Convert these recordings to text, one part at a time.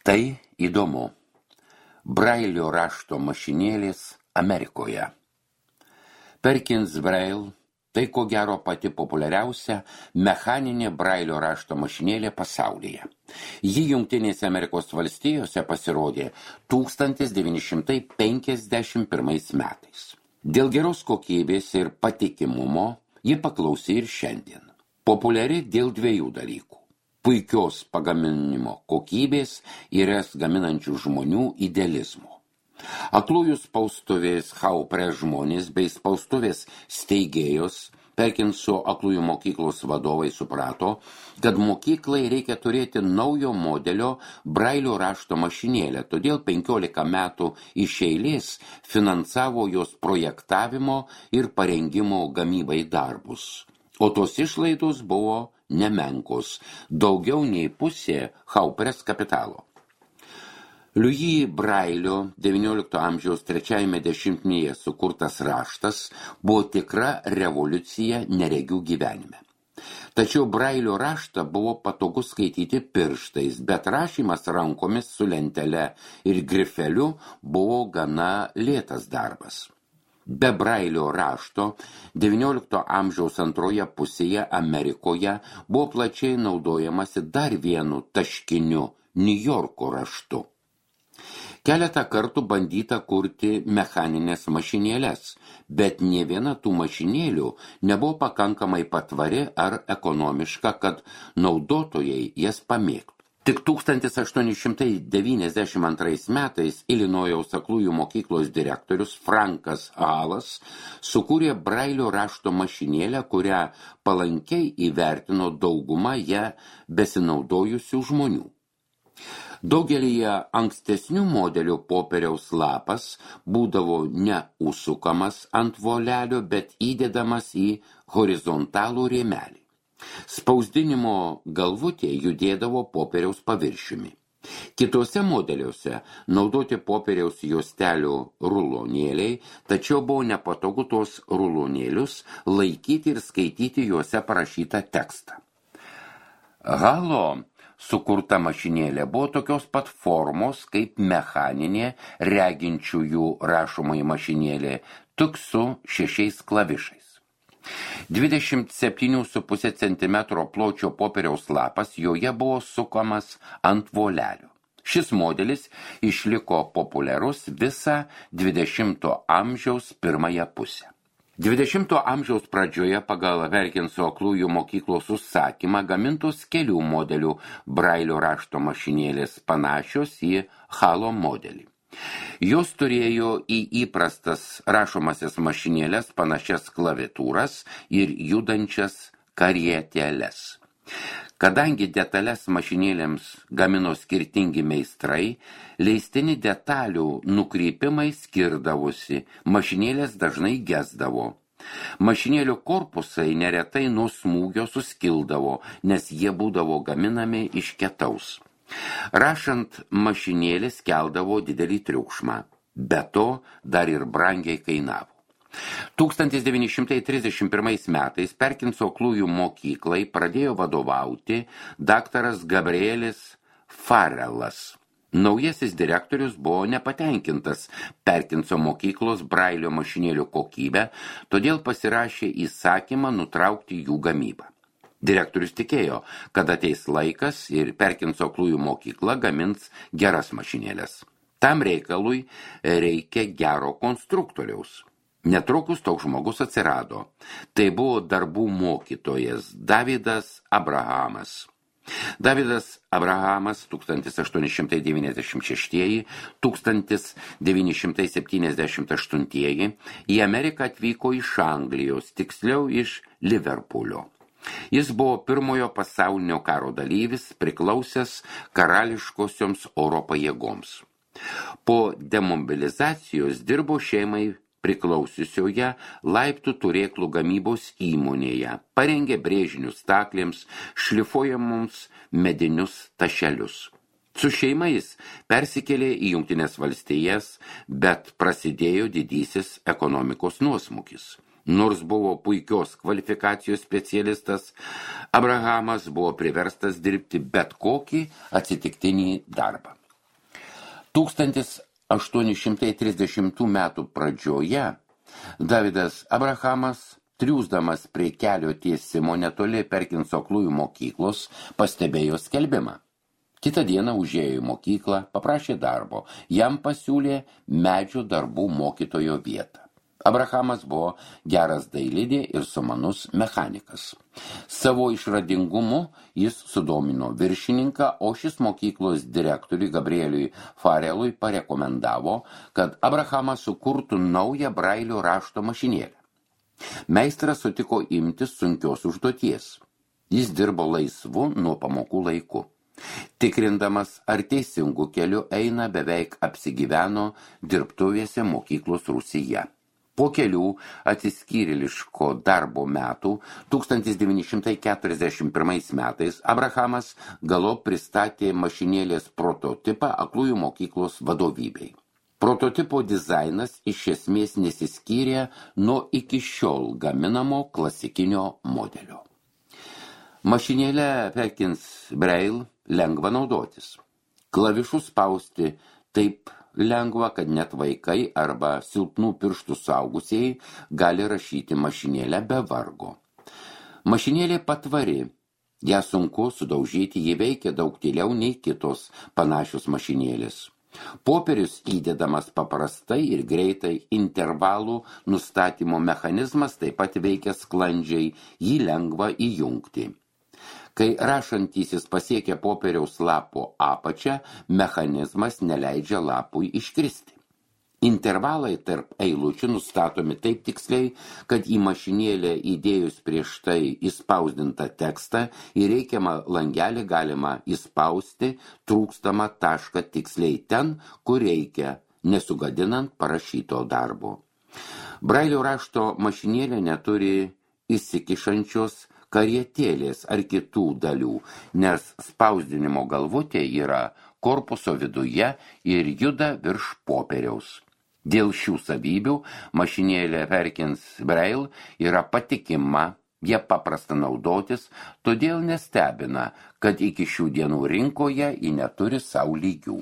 Tai įdomu. Brailio rašto mašinėlės Amerikoje. Perkins Braille tai ko gero pati populiariausia mechaninė Brailio rašto mašinėlė pasaulyje. Ji Jungtinėse Amerikos valstijose pasirodė 1951 metais. Dėl geros kokybės ir patikimumo ji paklausi ir šiandien. Populiari dėl dviejų dalykų. Puikios pagaminimo kokybės ir jas gaminančių žmonių idealizmo. Aklųjų spaustuvės Haupre žmonės bei spaustuvės steigėjos Perkinso aklųjų mokyklos vadovai suprato, kad mokyklai reikia turėti naujo modelio Brailio rašto mašinėlę, todėl 15 metų iš eilės finansavo jos projektavimo ir parengimo gamybai darbus. O tos išlaidos buvo nemenkos, daugiau nei pusė Haupres kapitalo. Louis Brailio XIX amžiaus trečiajame dešimtmetyje sukurtas raštas buvo tikra revoliucija neregių gyvenime. Tačiau Brailio raštą buvo patogu skaityti pirštais, bet rašymas rankomis su lentele ir grifeliu buvo gana lėtas darbas. Be Brailio rašto XIX amžiaus antroje pusėje Amerikoje buvo plačiai naudojamasi dar vienu taškiniu Niujorko raštu. Keletą kartų bandyta kurti mechaninės mašinėlės, bet nė viena tų mašinėlių nebuvo pakankamai patvari ar ekonomiška, kad naudotojai jas pamėgtų. Tik 1892 metais Ilinojaus aklųjų mokyklos direktorius Frankas Halas sukūrė Brailio rašto mašinėlę, kurią palankiai įvertino dauguma ją besinaudojusių žmonių. Daugelyje ankstesnių modelių popieriaus lapas būdavo ne užsukamas ant volelio, bet įdedamas į horizontalų rėmelį. Spausdinimo galvutė judėdavo popieriaus paviršiumi. Kitose modeliuose naudoti popieriaus juostelių rulonėliai, tačiau buvo nepatogu tos rulonėlius laikyti ir skaityti juose parašytą tekstą. Halo sukurta mašinėlė buvo tokios pat formos kaip mechaninė reginčiųjų rašomoji mašinėlė, tik su 6 klavišais. 27,5 cm pločio popieriaus lapas joje buvo sukamas ant volelio. Šis modelis išliko populiarus visą 20 amžiaus pirmąją pusę. 20 amžiaus pradžioje pagal Perkinso aklųjų mokyklos užsakymą gamintos kelių modelių Brailio rašto mašinėlės panašios į Halo modelį. Jos turėjo į įprastas rašomasias mašinėlės panašias klaviatūras ir judančias karietėles. Kadangi detalės mašinėlėms gamino skirtingi meistrai, leistini detalių nukreipimai skirdavosi, mašinėlės dažnai gesdavo. Mašinėlių korpusai neretai nuo smūgio suskildavo, nes jie būdavo gaminami iš ketaus. Rašant mašinėlės keldavo didelį triukšmą, be to dar ir brangiai kainavo. 1931 metais Perkinso aklųjų mokyklai pradėjo vadovauti daktaras Gabrielis Farrelas. Naujasis direktorius buvo nepatenkintas Perkinso mokyklos Brailio mašinėlių kokybę, todėl pasirašė įsakymą nutraukti jų gamybą. Direktorius tikėjo, kad ateis laikas ir Perkinso aklųjų mokykla gamins geras mašinėlės. Tam reikalui reikia gero konstruktoriaus. Netrukus toks žmogus atsirado. Tai buvo darbų mokytojas Davidas Abrahamas. Davidas Abrahamas 1896–1978 į Ameriką atvyko iš Anglijos, tiksliau iš Liverpulio. Jis buvo pirmojo pasaulinio karo dalyvis, priklausęs karališkosioms oro pajėgoms. Po demobilizacijos dirbo šeimai priklausiusioje laiptų turėklų gamybos įmonėje, parengė brėžinius staklėms, šlifuojamoms medinius tašelius. Su šeima jis persikėlė į Jungtines valstijas, bet prasidėjo didysis ekonomikos nuosmukis. Nors buvo puikios kvalifikacijos specialistas, Abrahamas buvo priverstas dirbti bet kokį atsitiktinį darbą. 1830 metų pradžioje Davidas Abrahamas, triūsdamas prie kelio tiesimo netoli Perkinso aklųjų mokyklos, pastebėjo skelbimą. Kitą dieną užėjo į mokyklą, paprašė darbo, jam pasiūlė medžio darbų mokytojo vietą. Abrahamas buvo geras dailidė ir sumanus mechanikas. Savo išradingumu jis sudomino viršininką, o šis mokyklos direktoriui Gabrieliui Farelui parekomendavo, kad Abrahamas sukurtų naują Brailio rašto mašinėlę. Meistras sutiko imtis sunkios užduoties. Jis dirbo laisvu nuo pamokų laiku. Tikrindamas, ar teisingų kelių eina, beveik apsigyveno dirbtuvėse mokyklos rūsyje. Po kelių atsiskyrėliško darbo metų 1941 metais Abrahamas galop pristatė mašinėlės prototipą aklųjų mokyklos vadovybei. Prototipo dizainas iš esmės nesiskyrė nuo iki šiol gaminamo klasikinio modelio. Mašinėlė Perkins Braille lengva naudotis. Klavišus spausti taip lengva, kad net vaikai arba silpnų pirštų suaugusieji gali rašyti mašinėlę be vargo. Mašinėlė patvari, ją sunku sudaužyti, ji veikia daug tyliau nei kitos panašios mašinėlės. Popierius įdedamas paprastai ir greitai, intervalų nustatymo mechanizmas taip pat veikia sklandžiai, jį lengva įjungti. Kai rašantysis pasiekia popieriaus lapo apačią, mechanizmas neleidžia lapui iškristi. Intervalai tarp eilučių nustatomi taip tiksliai, kad į mašinėlę įdėjus prieš tai įspausdintą tekstą į reikiamą langelį galima įspausti trūkstamą tašką tiksliai ten, kur reikia, nesugadinant parašyto darbo. Brailio rašto mašinėlė neturi įsikišančios karietėlės ar kitų dalių, nes spausdinimo galvutė yra korpuso viduje ir juda virš popieriaus. Dėl šių savybių mašinėlė Perkins Braille yra patikima, jie paprasta naudotis, todėl nestebina, kad iki šių dienų rinkoje ji neturi sau lygių.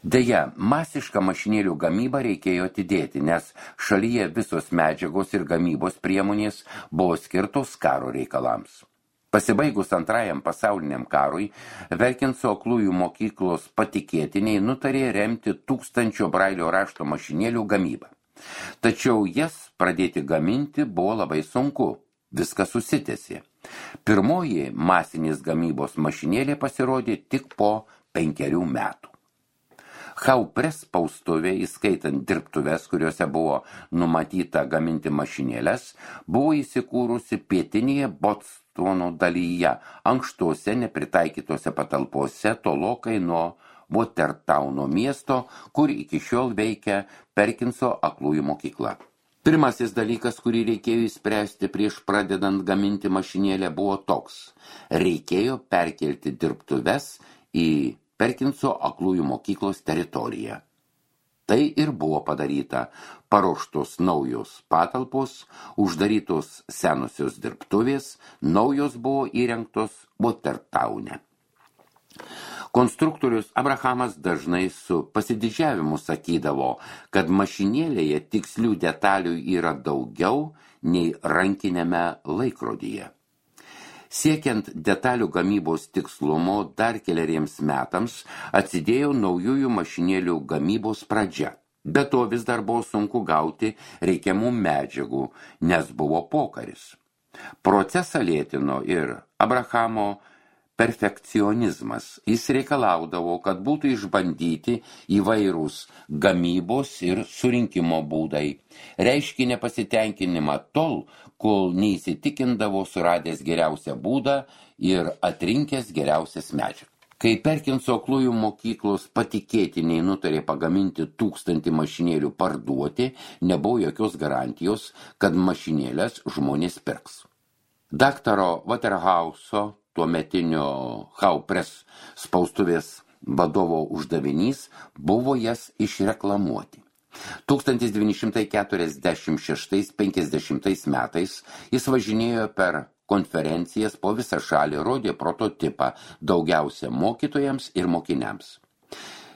Deja, masišką mašinėlių gamybą reikėjo atidėti, nes šalyje visos medžiagos ir gamybos priemonės buvo skirtos karo reikalams. Pasibaigus Antrajam pasauliniam karui, Perkinso aklųjų mokyklos patikėtiniai nutarė remti 1000 Brailio rašto mašinėlių gamybą. Tačiau jas pradėti gaminti buvo labai sunku, viskas susitęsė. Pirmoji masinės gamybos mašinėlė pasirodė tik po 5 metų. Haupres spaustuvė, įskaitant dirbtuves, kuriuose buvo numatyta gaminti mašinėlės, buvo įsikūrusi pietinėje Bostonu dalyje, ankštose nepritaikytose patalpose tolokai nuo Watertowno miesto, kur iki šiol veikia Perkinso aklųjų mokykla. Pirmasis dalykas, kurį reikėjo įspręsti prieš pradedant gaminti mašinėlę, buvo toks. Reikėjo perkelti dirbtuves į Perkinso aklųjų mokyklos teritoriją. Tai ir buvo padaryta. Paruoštos naujos patalpos, uždarytos senosios dirbtuvės, naujos buvo įrengtos Watertowne. Konstruktorius Abrahamas dažnai su pasididžiavimu sakydavo, kad mašinėlėje tikslių detalių yra daugiau nei rankinėme laikrodyje. Siekiant detalių gamybos tikslumo dar keleriems metams atsidėjo naujųjų mašinėlių gamybos pradžia. Be to vis dar buvo sunku gauti reikiamų medžiagų, nes buvo pokaris. Procesą lėtino ir Abrahamo perfekcionizmas. Jis reikalaudavo, kad būtų išbandyti įvairūs gamybos ir surinkimo būdai. Reiškė nepasitenkinimą tol, kol neįsitikindavo suradęs geriausią būdą ir atrinkęs geriausias medžiagas. Kai Perkinso aklųjų mokyklos patikėtiniai nutarė pagaminti 1000 mašinėlių parduoti, nebuvo jokios garantijos, kad mašinėlės žmonės pirks. Daktaro Waterhouse'o, tuometinio Haupres spaustuvės vadovo uždavinys buvo jas išreklamuoti. 1946–50 metais jis važinėjo per konferencijas po visą šalį, rodė prototipą daugiausia mokytojams ir mokiniams.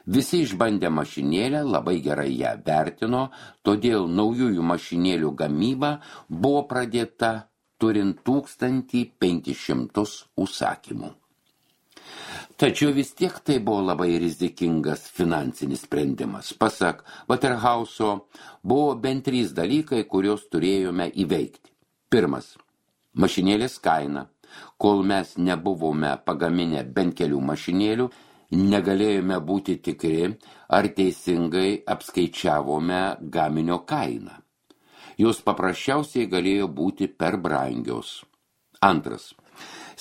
Visi išbandę mašinėlę labai gerai ją vertino, todėl naujųjų mašinėlių gamyba buvo pradėta turint 1500 užsakymų. Tačiau vis tiek tai buvo labai rizikingas finansinis sprendimas. Pasak Waterhouse'o, buvo bent 3 dalykai, kuriuos turėjome įveikti. Pirmas – mašinėlės kaina. Kol mes nebuvome pagaminę bent kelių mašinėlių, negalėjome būti tikri, ar teisingai apskaičiavome gaminio kainą. Jos paprasčiausiai galėjo būti per brangios. Antras.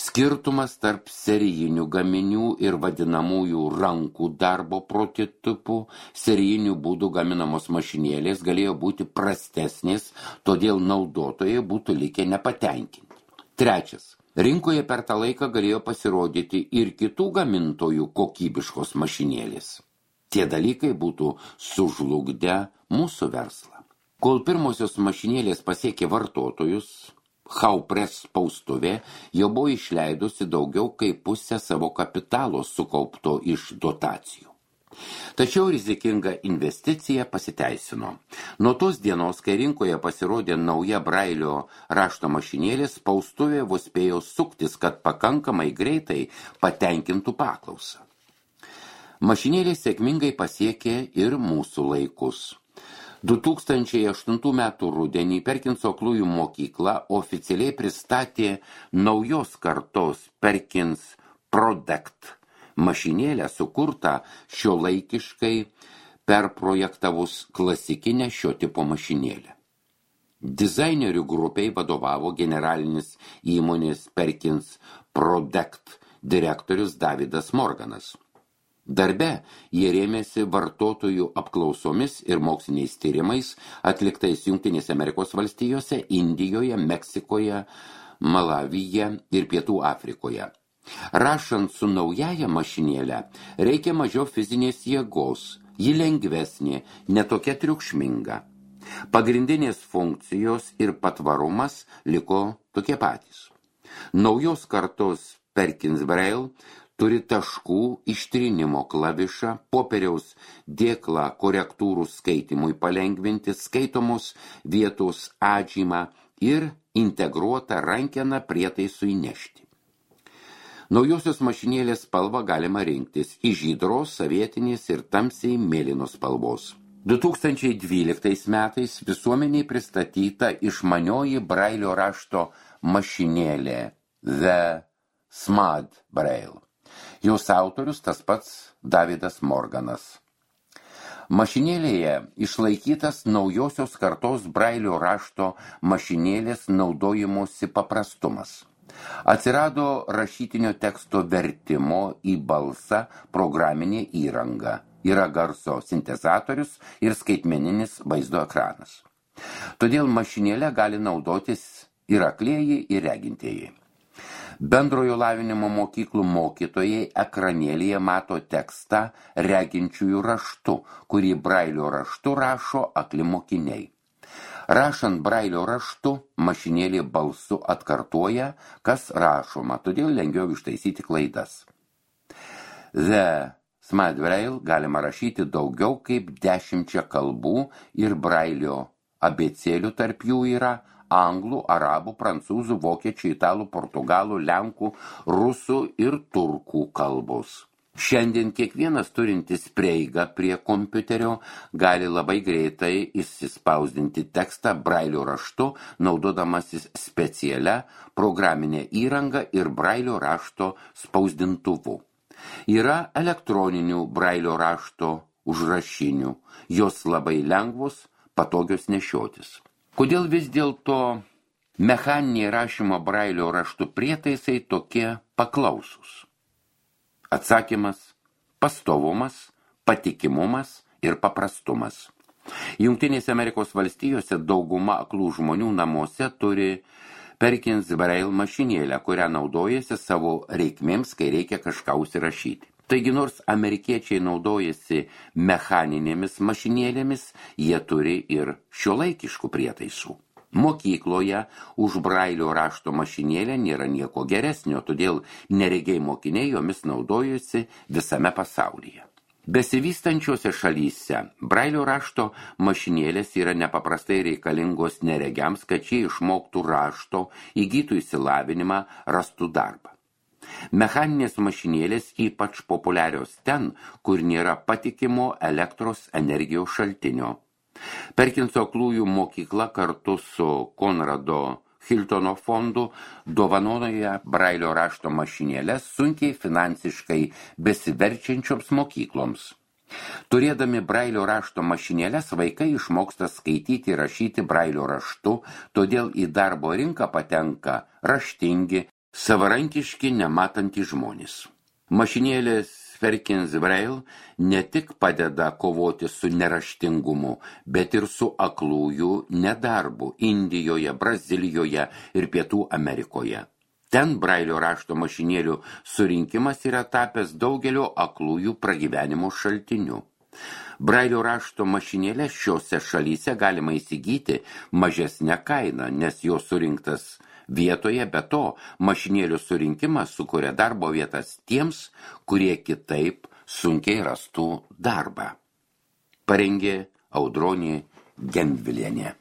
Skirtumas tarp serijinių gaminių ir vadinamųjų rankų darbo prototipų, serijinių būdų gaminamos mašinėlės galėjo būti prastesnės, todėl naudotojai būtų likę nepatenkinti. Trečias. Rinkoje per tą laiką galėjo pasirodyti ir kitų gamintojų kokybiškos mašinėlės. Tie dalykai būtų sužlugdę mūsų verslą. Kol pirmosios mašinėlės pasiekė vartotojus, Haupress spaustuvė jau buvo išleidusi daugiau kaip pusę savo kapitalo sukaupto iš dotacijų. Tačiau rizikinga investicija pasiteisino. Nuo tos dienos, kai rinkoje pasirodė nauja Brailio rašto mašinėlė, spaustuvė vos spėjo suktis, kad pakankamai greitai patenkintų paklausą. Mašinėlė sėkmingai pasiekė ir mūsų laikus. 2008 metų rudenį Perkinso aklųjų mokykla oficialiai pristatė naujos kartos Perkins Product mašinėlę sukurtą šiuolaikiškai perprojektavus klasikinę šio tipo mašinėlę. Dizainerių grupiai vadovavo generalinis įmonės Perkins Product direktorius Davidas Morganas. Darbe jie rėmėsi vartotojų apklausomis ir moksliniais tyrimais atliktais Jungtinėse Amerikos valstijose, Indijoje, Meksikoje, Malavyje ir Pietų Afrikoje. Rašant su naujaja mašinėlė reikia mažiau fizinės jėgos, ji lengvesnė, netokia triukšminga. Pagrindinės funkcijos ir patvarumas liko tokie patys. Naujos kartos Perkins Braille turi taškų ištrinimo klavišą, popieriaus dėklą korektūrų skaitimui palengvinti, skaitomos vietos atžymą ir integruotą rankeną prietaisui nešti. Naujosios mašinėlės spalvą galima rinktis iš žydros, savietinės ir tamsiai mėlynos spalvos. 2012 metais visuomeniai pristatyta išmanioji Brailio rašto mašinėlė The Smart Braille. Jos autorius tas pats Davidas Morganas. Mašinėlėje išlaikytas naujosios kartos Brailio rašto mašinėlės naudojimosi paprastumas. Atsirado rašytinio teksto vertimo į balsą programinė įranga. Yra garso sintezatorius ir skaitmeninis vaizdo ekranas. Todėl mašinėlė gali naudotis ir aklieji, ir regintieji. Bendrojo lavinimo mokyklų mokytojai ekranėlyje mato tekstą reginčiųjų raštu, kurį Brailio raštu rašo akli mokiniai. Rašant Brailio raštu, mašinėlė balsu atkartoja, kas rašoma, todėl lengviau ištaisyti klaidas. The Smart Braille galima rašyti daugiau kaip 10 kalbų ir Brailio abėcėlių tarp jų yra anglų, arabų, prancūzų, vokiečių, italų, portugalų, lenkų, rusų ir turkų kalbos. Šiandien kiekvienas turintis prieigą prie kompiuterio gali labai greitai įsispausdinti tekstą Brailio raštu, naudodamasis specialia programinė įranga ir Brailio rašto spausdintuvu. Yra elektroninių Brailio rašto užrašinių, jos labai lengvos, patogios nešiotis. Kodėl vis dėlto mechaniniai rašymo Brailio raštų prietaisai tokie paklausus? Atsakymas – pastovumas, patikimumas ir paprastumas. Jungtinėse Amerikos valstijose dauguma aklų žmonių namuose turi Perkins Braille mašinėlę, kurią naudojasi savo reikmėms, kai reikia kažką užsirašyti. Taigi nors amerikiečiai naudojasi mechaninėmis mašinėlėmis, jie turi ir šiuolaikiškų prietaisų. Mokykloje už Brailio rašto mašinėlę nėra nieko geresnio, todėl neregiai mokiniai jomis naudojusi visame pasaulyje. Besivystančiose šalyse brailio rašto mašinėlės yra nepaprastai reikalingos neregiams, kad jie išmoktų rašto, įgytų išsilavinimą, rastų darbą. Mechaninės mašinėlės ypač populiarios ten, kur nėra patikimo elektros energijos šaltinio. Perkinso aklųjų mokykla kartu su Konrado Hiltono fondu dovanoja brailio rašto mašinėlės sunkiai finansiškai besiverčiančioms mokykloms. Turėdami brailio rašto mašinėlės, vaikai išmoksta skaityti ir rašyti brailio raštu, todėl į darbo rinką patenka raštingi, savarankiški, nematantys žmonės. Mašinėlės Perkins Braille ne tik padeda kovoti su neraštingumu, bet ir su aklųjų nedarbu Indijoje, Brazilijoje ir Pietų Amerikoje. Ten brailio rašto mašinėlių surinkimas yra tapęs daugelio aklųjų pragyvenimo šaltiniu. Brailio rašto mašinėlės šiose šalyse galima įsigyti mažesnę kainą, nes jo surinktas vietoje, be to mašinėlių surinkimas sukuria darbo vietas tiems, kurie kitaip sunkiai rastų darbą. Parengė Audronė Gendvilienė.